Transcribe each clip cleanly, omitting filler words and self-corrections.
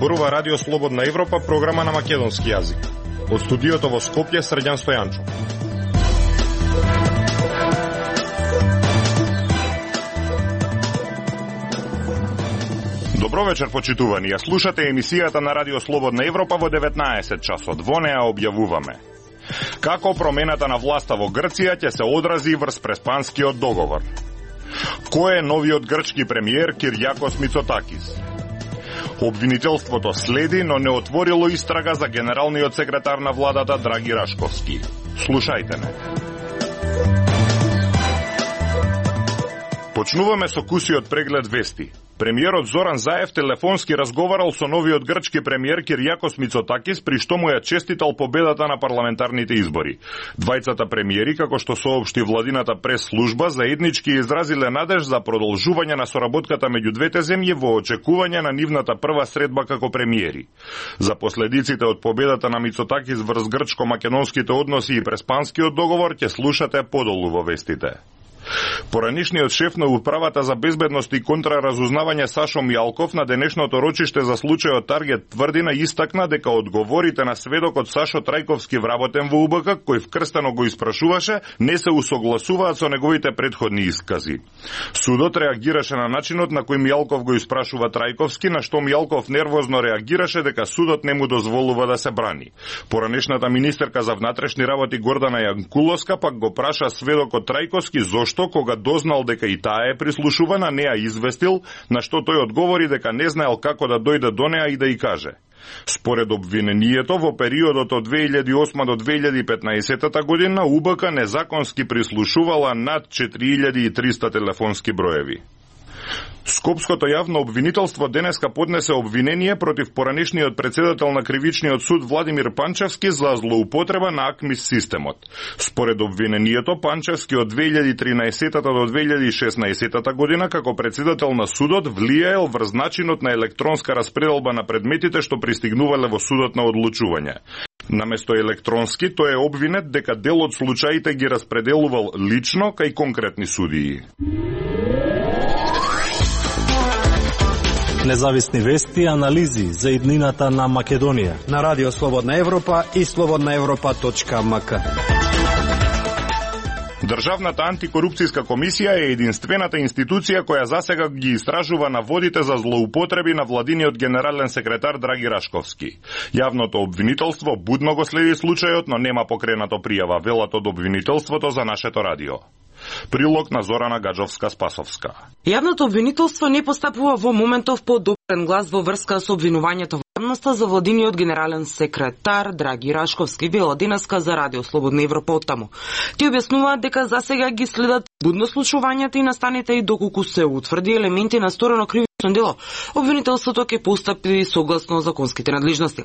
Зборува Радио Слободна Европа, програма на македонски јазик. Од студиото во Скопје, Срđan Стојанчов. Добро вечер, почитувани. Ја слушате емисијата на Радио Слободна Европа во 19 часот. Во неа објавуваме како промената на власта во Грција ќе се одрази врз Преспанскиот договор. Кој е новиот грчки премиер Кирјакос Мицотакис? Обвинителството следи, но не отворило истрага за генералниот секретар на владата Драги Рашковски. Слушајте ме. Почнуваме со кусиот преглед вести. Премиерот Зоран Заев телефонски разговарал со новиот грчки премиер Кирјакос Мицотакис, при што му ја честитал победата на парламентарните избори. Двајцата премиери, како што соопшти владината прес-служба, заеднички изразиле надеж за продолжување на соработката меѓу двете земји во очекување на нивната прва средба како премиери. За последиците од победата на Мицотакис врз грчко-македонските односи и Преспанскиот договор ќе слушате подолу во вестите. Поранишниот шеф на Управата за безбедност и контраразузнавање Сашо Мјалков на денешното рочиште за случајот Таргет Тврдина истакна дека одговорите на сведокот Сашо Трајковски вработен во УБК, кој вкрстено го испрашуваше, не се усогласуваат со неговите претходни искази. Судот реагираше на начинот на кој Мјалков го испрашува Трајковски, на што Мјалков нервозно реагираше дека судот не му дозволува да се брани. Поранешната министерка за внатрешни работи Гордана Јанкуловска пак го праша сведокот Трајковски зошто кога дознал дека и таа е прислушувана, не ја известил, на што тој одговори дека не знаел како да дојде до неа и да ја каже. Според обвинението, во периодот од 2008 до 2015 година УБК незаконски прислушувала над 4300 телефонски броеви. Скопското јавно обвинителство денеска поднесе обвинение против поранешниот председател на Кривичниот суд Владимир Панчевски за злоупотреба на АКМИС системот. Според обвинението, Панчевски од 2013 до 2016 година како председател на судот влијаел врз начинот на електронска распределба на предметите што пристигнувале во судот на одлучување. Наместо електронски, тој е обвинет дека дел од случаите ги распределувал лично кај конкретни судии. Независни вести и анализи за иднината на Македонија на Радио Слободна Европа и slobodnaevropa.mk. Државната антикорупцијска комисија е единствената институција која засега ги истражува наводите за злоупотреби на владиниот генерален секретар Драги Рашковски. Јавното обвинителство будно го следи случајот, но нема покренато пријава, велат од обвинителството за нашето радио. Прилог на Зорана Гаджовска-Спасовска. Јавното обвинителство не постапува во моментов по допрен глас во врска со обвинувањето во јавноста за владиниот генерален секретар Драги Рашковски, вела денеска за Радио Слободна Европа оттаму. Ти објаснуваат дека засега ги следат будно случувањата и настаните и доколку се утврди елементи на сторено кривично дело, обвинителството ќе постапи согласно законските надлежности.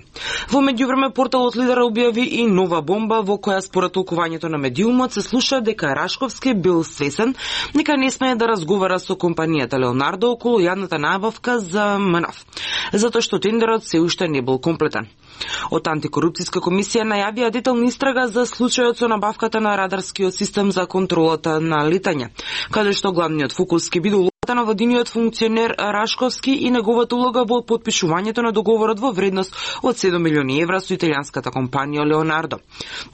Во меѓувреме порталот Лидер објави и нова бомба во која според толкувањето на медиумот се слуша дека Рашковски бил свесен дека не смее да разговара со компанијата Леонардо околу јавната набавка за МНАФ, затоа што тендерот се уште не бил комплетен. Од антикорупцијска комисија најавија детална истрага за случајот со набавката на радарскиот систем за контролата на летање, каде што главниот фокус ќе биде на владиниот функционер Рашковски и неговата улога во подпишувањето на договорот во вредност од 7 милиони евра со италијанската компанија Леонардо.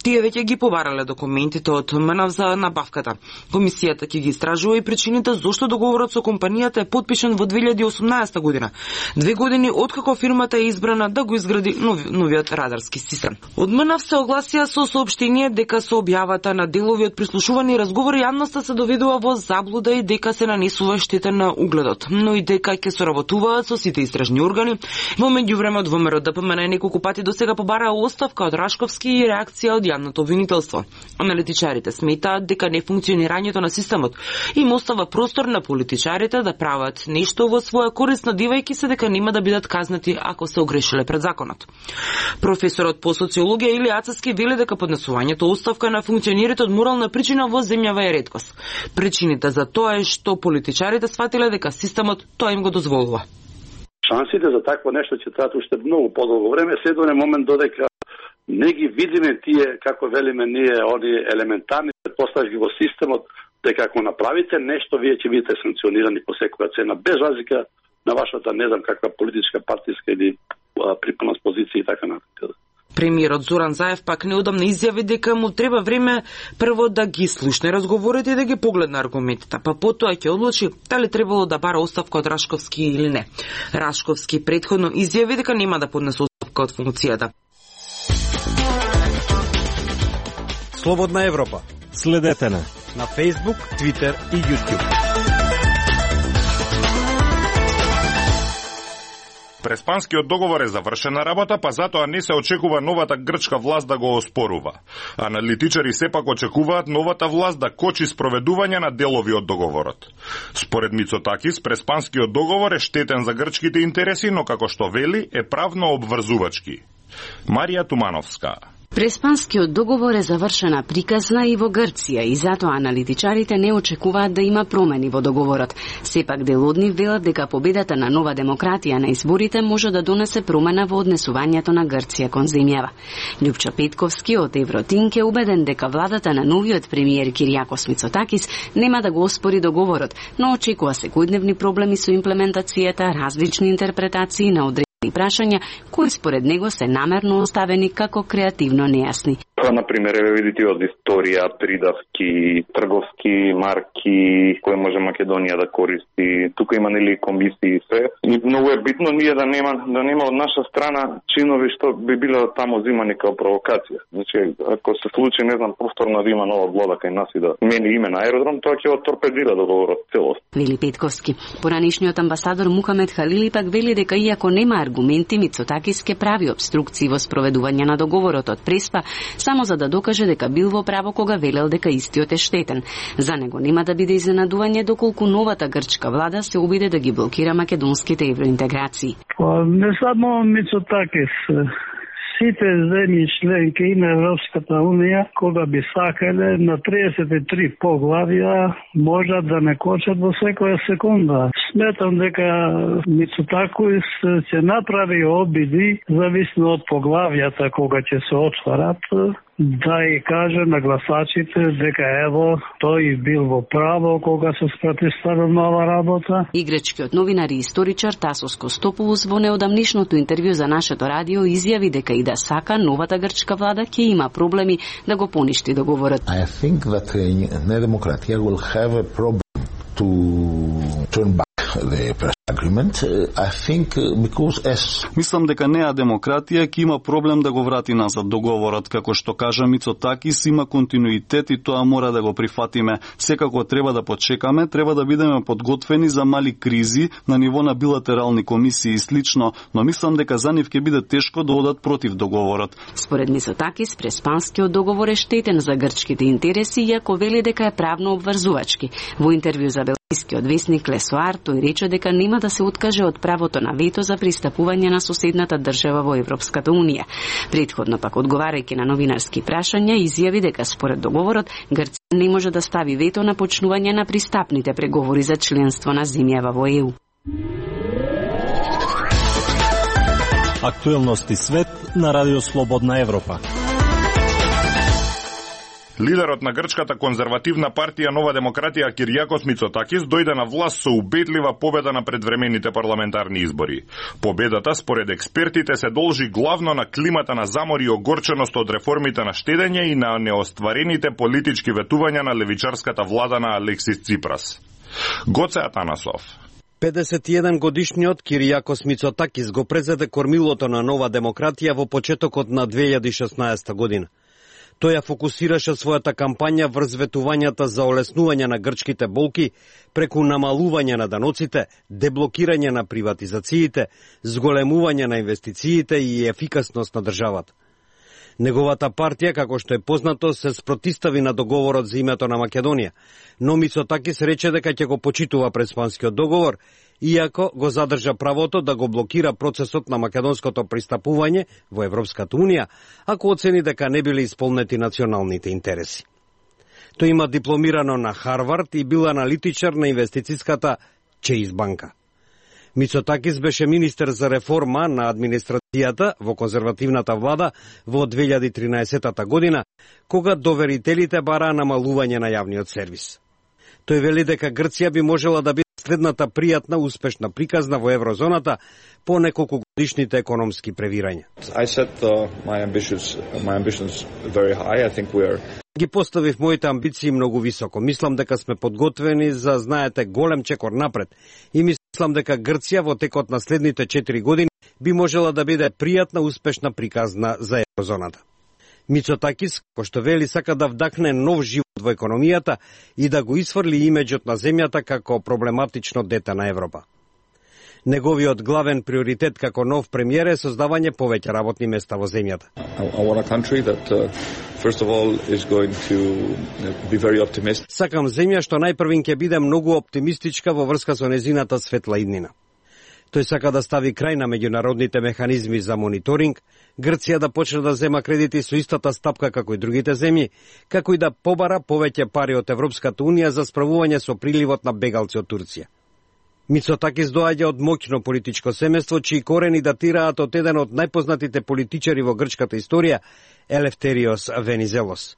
Тие веќе ги побарале документите од МНАФ за набавката. Комисијата ќе ги истражува и причините зошто договорот со компанијата е подпишан во 2018 година, 2 години откако фирмата е избрана да го изгради новиот радарски систем. Од МНАФ се огласија со соопштение дека со објавата на делови од прислушувани разговори јавноста се доведува во заблуда и дека се нанесува штета на угледот, но и дека ќе соработуваат со сите истражни органи. Во меѓувреме од ВМРО ДПМН неколку пати досега побараа оставка од Рашковски и реакција од јавното обвинителство. Аналитичарите сметаат дека нефункционирањето на системот им остава простор на политичарите да прават нешто во своја корист, надевајќи се дека нема да бидат казнати ако се огрешиле пред законот. Професорот по социологија Или Ацевски вели дека поднесувањето оставка на функционерите од морална причина во земјава е реткост. Причините за тоа е што политичарите сватиле дека системот тоа им го дозволува. Шансите за такво нешто ќе траат уште многу подолго време, се до момент додека не ги видиме тие, како велиме ние, они елементарни предпоставки во системот, дека ако направите нешто, вие ќе бидете санкционирани по секоја цена, без разлика на вашата, не знам каква политичка, партиска или припадност позиција и така натаму. Премиерот Зоран Заев пак неудамно изјави дека му треба време прво да ги слушне разговорите и да ги погледне аргументите, па потоа ќе одлучи дали требало да бара оставка од Рашковски или не. Рашковски претходно изјави дека нема да поднесе оставка од функцијата. Слободна Европа. Следете на Facebook, Twitter и YouTube. Преспанскиот договор е завршена работа, па затоа не се очекува новата грчка власт да го оспорува. Аналитичари сепак очекуваат новата власт да кочи спроведување на делови од договорот. Според Мицотакис, Преспанскиот договор е штетен за грчките интереси, но како што вели, е правно обврзувачки. Марија Тумановска. Преспанскиот договор е завршена приказна и во Грција и затоа аналитичарите не очекуваат да има промени во договорот. Сепак дел од нив велат дека победата на Нова демократија на изборите може да донесе промена во однесувањето на Грција кон земјава. Љупчо Петковски од Евротинк е убеден дека владата на новиот премиер Киријакос Мицотакис нема да го оспори договорот, но очекува секојдневни проблеми со имплементацијата, различни интерпретации на одредени прашања кои според него се намерно оставени како креативно нејасни. Например, видите од историја, придавки, трговски марки, кои може Македонија да користи. Тука има нели комисии и се. И многу е битно ние да нема од наша страна чинови што би биле таму зимани како провокација. Значи, ако се случи, не знам, повторно да има нова влада кај нас и да мени име на аеродром, тоа ќе го торпедира договорот целост. Вели Петковски. Поранишниот амбасадор Мухамед Халили пак вели дека иако нема аргументи, Мицотакис ке прави обструкции во спроведување на договорот од Преспа, само за да докаже дека бил во право кога велел дека истиот е штетен. За него нема да биде изненадување доколку новата грчка влада се обиде да ги блокира македонските евроинтеграции. Не само Мицотакис, сите земји членки на Европската Унија, кога би сакале на 33 поглавја, можат да не кочат во секоја секунда. Сметам дека Мицотакис ќе направи обиди, зависно од поглавјата кога ќе се отварат, да и каже на гласачите дека ево тој бил во право кога се противставил нова работа. И грчкиот новинар и историчар Тасос Костопулус во неодамнишното интервју за нашето радио изјави дека и да сака новата грчка влада ќе има проблеми да го поништи договорот. I think that Nea Demokratia will have a problem to turn back the press agreement. I think because as Мислам дека Неа Демократија ќе има проблем да го врати назад договорот, како што кажа Мицотакис, има континуитет и тоа мора да го прифатиме. Секако треба да почекаме, треба да бидеме подготвени за мали кризи на ниво на билатерални комисии и слично, но мислам дека за нив ќе биде тешко да одат против договорот. Според Мицотакис, Преспанскиот договор е штетен за грчките интереси, иако вели дека е правно обврзувачки. Во интервју за белгискиот весник Лесоар, тој рече дека нема да се откаже од правото на вето за пристапување на соседната држава во Европската Унија. Предходно пак одговарајќи на новинарски прашања, изјави дека според договорот Грција не може да стави вето на почнување на пристапните преговори за членство на земјава во ЕУ. Актуелности свет на Радио Слободна Европа. Лидерот на грчката конзервативна партија Нова демократија Киријакос Мицотакис дојде на власт со убедлива победа на предвремените парламентарни избори. Победата, според експертите, се должи главно на климата на замор и огорченост од реформите на штедење и на неостварените политички ветувања на левичарската влада на Алексис Ципрас. Гоце Атанасов. 51 годишниот Киријакос Мицотакис го презеде кормилото на Нова демократија во почетокот на 2016 година. Тој ја фокусираше својата кампања врз ветувањата за олеснување на грчките болки преку намалување на даноците, деблокирање на приватизациите, зголемување на инвестициите и ефикасност на државата. Неговата партија, како што е познато, се спротистави на договорот за името на Македонија, но Мицотакис рече дека ќе го почитува Преспанскиот договор, иако го задржа правото да го блокира процесот на македонското пристапување во Европската Унија, ако оцени дека не биле исполнети националните интереси. Тој има дипломирано на Харвард и бил аналитичар на инвестициската Чейз банка. Мицотакис беше министер за реформа на администрацијата во конзервативната влада во 2013 година, кога доверителите бараа намалување на јавниот сервис. Тој вели дека Грција би можела да биде следната пријатна успешна приказна во еврозоната по неколку годишните економски превирања. Ги поставив моите амбиции многу високо. Мислам дека сме подготвени за, знаете, голем чекор напред. И мислам дека Грција во текот на следните 4 години би можела да биде пријатна успешна приказна за еврозоната. Мицотакис, кој што вели, сака да вдахне нов живот во економијата и да го исфрли имиџот на земјата како проблематично дете на Европа. Неговиот главен приоритет како нов премиер е создавање повеќе работни места во земјата. Сакам земја што најпрвин ќе биде многу оптимистичка во врска со незината светла иднина. Тој сака да стави крај на меѓународните механизми за мониторинг, Грција да почне да зема кредити со истата стапка како и другите земји, како и да побара повеќе пари од Европската унија за справување со приливот на бегалци од Турција. Мицотакис доаѓа од моќно политичко семејство, чии корени датираат од еден од најпознатите политичари во грчката историја, Елефтериос Венизелос.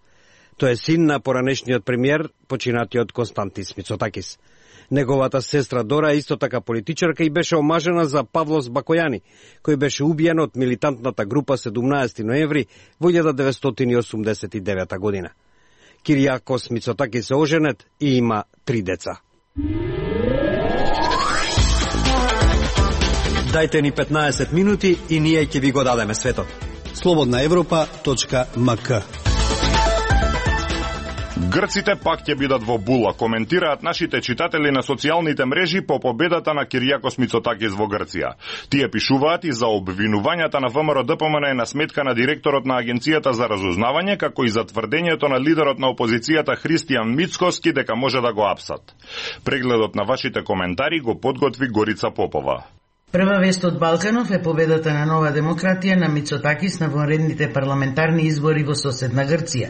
Тој е син на поранешниот премиер, починатиот Константис Мицотакис. Неговата сестра Дора е исто така политичарка и беше омажена за Павлос Бакојани, кој беше убиен од милитантната група 17 ноември во 1989 година. Киријакос Мицотакис е оженет и има 3 деца. Дајте ни 15 минути и ние ќе ви го дадеме светот. slobodnaevropa.mk. Грците пак ќе бидат во була, коментираат нашите читатели на социјалните мрежи по победата на Киријакос Мицотакис во Грција. Тие пишуваат и за обвинувањата на ВМРО-ДПМН на сметка на директорот на Агенцијата за разузнавање, како и за тврдењето на лидерот на опозицијата Христијан Мицкоски дека може да го апсат. Прегледот на вашите коментари го подготви Горица Попова. Прва вест од Балканов е победата на Нова демократија на Мицотакис на вонредните парламентарни избори во соседна Грција.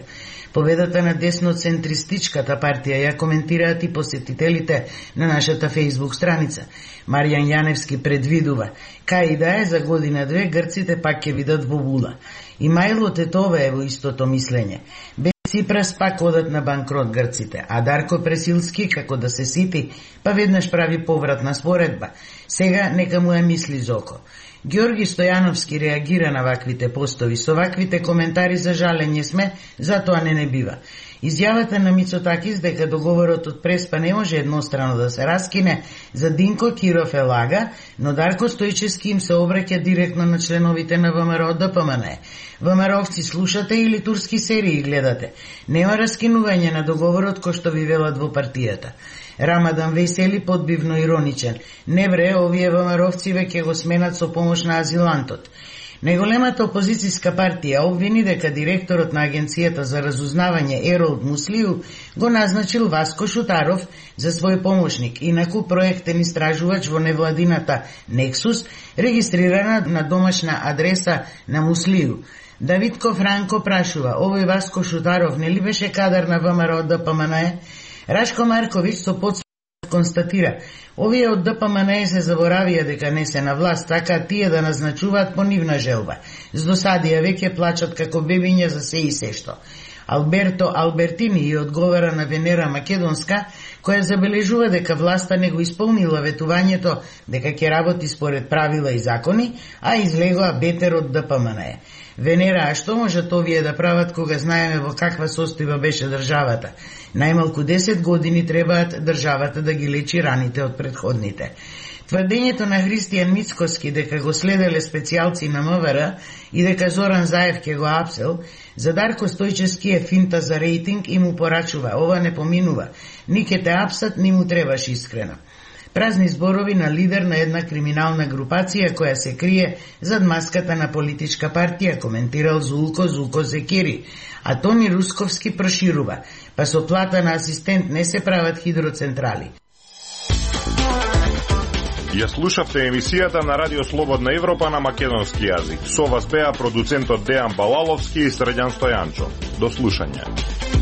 Победата на десно-центристичката партија ја коментираат и посетителите на нашата Facebook страница. Маријан Јаневски предвидува, кај и да е за година-две грците пак ќе видат во була. И Мајло Тетова е во истото мислење. Ципрас пак одат на банкрот грците, а Дарко Пресилски, како да се сити, па веднаш прави повратна споредба. Сега нека му е мисли зоко. Ѓорги Стојановски реагира на ваквите постови. Со ваквите коментари за жалење сме, затоа не бива. Изјавата на Мицотакис дека договорот од Преспа не може еднострано да се раскине за Динко Киров е лага, но Дарко Стојчевски им се обраќа директно на членовите на ВМРО-ДПМН. ВМРО-вци слушате или турски серии гледате? Нема раскинување на договорот кој што ви велат во партијата. Рамадан Весели подбивно ироничен. Не бре, овие ВМРО-вци веќе го сменат со помош на азилантот. Најголемата опозицијска партија обвини дека директорот на Агенцијата за разузнавање Еролд Муслију го назначил Васко Шутаров за свој помошник, инаку проектен истражувач во невладината Нексус, регистрирана на домашна адреса на Муслију. Давидко Франко прашува, овој Васко Шутаров не ли беше кадар на ВМРО-ДПМН? Рашко Марковиќ со подсвет констатира, овие од ДПМН се заборавија дека не се на власт, така тие да назначуваат по нивна желба. С досадија веќе плачат како бебиња за се и се што. Алберто Албертини и одговара на Венера Македонска, која забележува дека власта не го исполнила ветувањето дека ќе работи според правила и закони, а излегоа бетер од ДПМН. Венера, а што можат овие да прават кога знаеме во каква состојба беше државата? Најмалку 10 години требаат државата да ги лечи раните од претходните. Тврдењето на Христијан Мицкоски дека го следеле специјалци на МВР и дека Зоран Заев ќе го апсел, за Дарко Стојчевски е финта за рейтинг и му порачува, ова не поминува, ни ке те апсат, ни му требаш искрено. Празни зборови на лидер на една криминална групација која се крие зад маската на политичка партија, коментирал Зулко Зекири. А Тони Русковски проширува, па со плата на асистент не се прават хидроцентрали. Ја слушавте емисијата на Радио Слободна Европа на македонски јазик. Со вас беа продуцентот Дејан Балаловски и Срđan Стојанчо. До слушање.